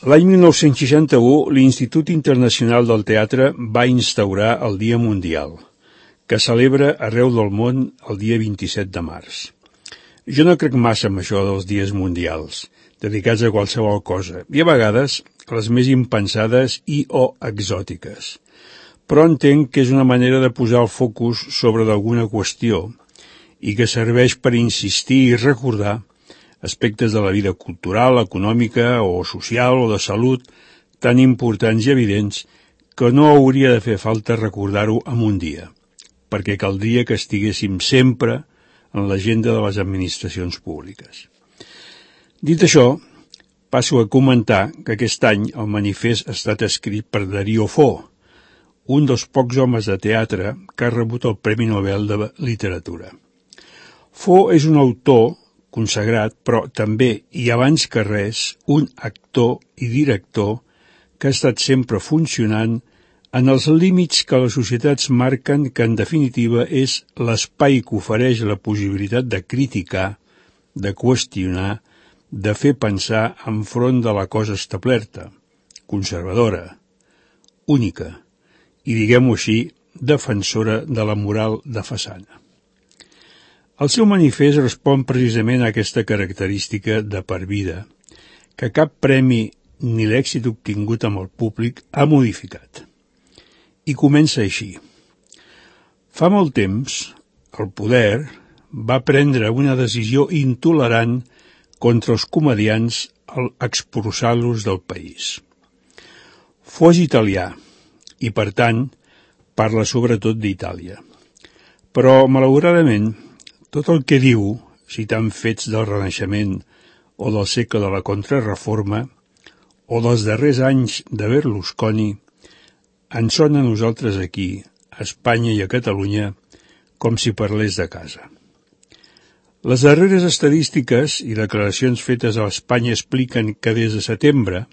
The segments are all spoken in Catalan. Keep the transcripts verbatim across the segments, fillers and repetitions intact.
L'any mil nou-cents seixanta-u, l'Institut Internacional del Teatre va instaurar el Dia Mundial, que celebra arreu del món el dia vint-i-set de març. Jo no crec massa en això dels dies mundials, dedicats a qualsevol cosa, i a vegades les més impensades i o exòtiques. Però entenc que és una manera de posar el focus sobre d'alguna qüestió i que serveix per insistir i recordar aspectes de la vida cultural, econòmica o social o de salut tan importants i evidents que no hauria de fer falta recordar-ho en un dia, perquè caldria que estiguéssim sempre en l'agenda de les administracions públiques. Dit això, passo a comentar que aquest any el manifest ha estat escrit per Dario Fo, un dels pocs homes de teatre que ha rebut el Premi Nobel de Literatura. Fo és un autor consagrat, però també, i abans que res, un actor i director que ha estat sempre funcionant en els límits que les societats marquen, que en definitiva és l'espai que ofereix la possibilitat de criticar, de qüestionar, de fer pensar enfront de la cosa establerta, conservadora, única, i diguem-ho així, defensora de la moral de façana. El seu manifest respon precisament a aquesta característica de per vida, que cap premi ni l'èxit obtingut amb el públic ha modificat. I comença així. Fa molt temps, el poder va prendre una decisió intolerant contra els comediants al expulsar-los del país. Fo és italià i, per tant, parla sobretot d'Itàlia. Però, malauradament, tot el que diu, citant fets del Renaixement o del segle de la Contrareforma o dels darrers anys de Berlusconi, ens sona a nosaltres aquí, a Espanya i a Catalunya, com si parlés de casa. Les darreres estadístiques i declaracions fetes a Espanya expliquen que des de setembre,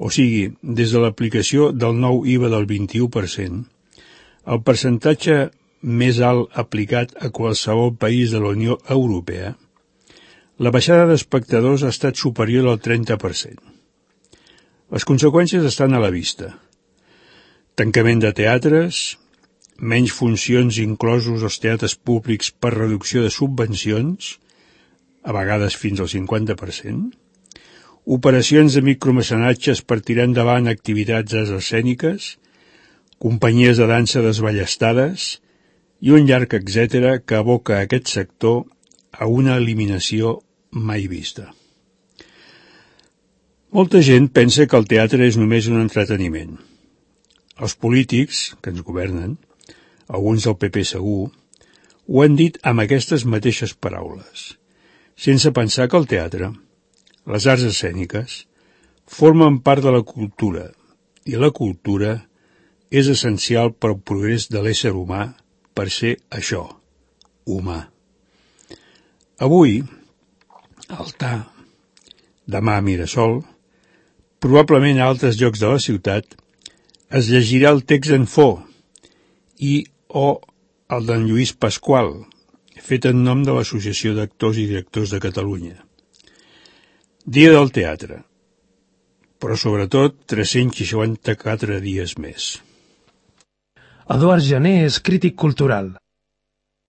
o sigui, des de l'aplicació del nou I V A del vint-i-u per cent, el percentatge més alt aplicat a qualsevol país de la Unió Europea, la baixada d'espectadors ha estat superior al trenta per cent. Les conseqüències estan a la vista. Tancament de teatres, menys funcions inclosos als teatres públics per reducció de subvencions, a vegades fins al cinquanta per cent, operacions de micromecenatges per tirar endavant activitats escèniques, companyies de dansa desballestades i un llarg etcètera que aboca aquest sector a una eliminació mai vista. Molta gent pensa que el teatre és només un entreteniment. Els polítics, que ens governen, alguns del P P segur, ho han dit amb aquestes mateixes paraules, sense pensar que el teatre, les arts escèniques, formen part de la cultura, i la cultura és essencial per al progrés de l'ésser humà per ser això, humà. Avui, al T A, demà a Mirasol, probablement a altres llocs de la ciutat, es llegirà el text en Fo i o el d'en Lluís Pasqual, fet en nom de l'Associació d'Actors i Directors de Catalunya. Dia del teatre, però sobretot tres-cents seixanta-quatre dies més. Eduard Jané és crític cultural.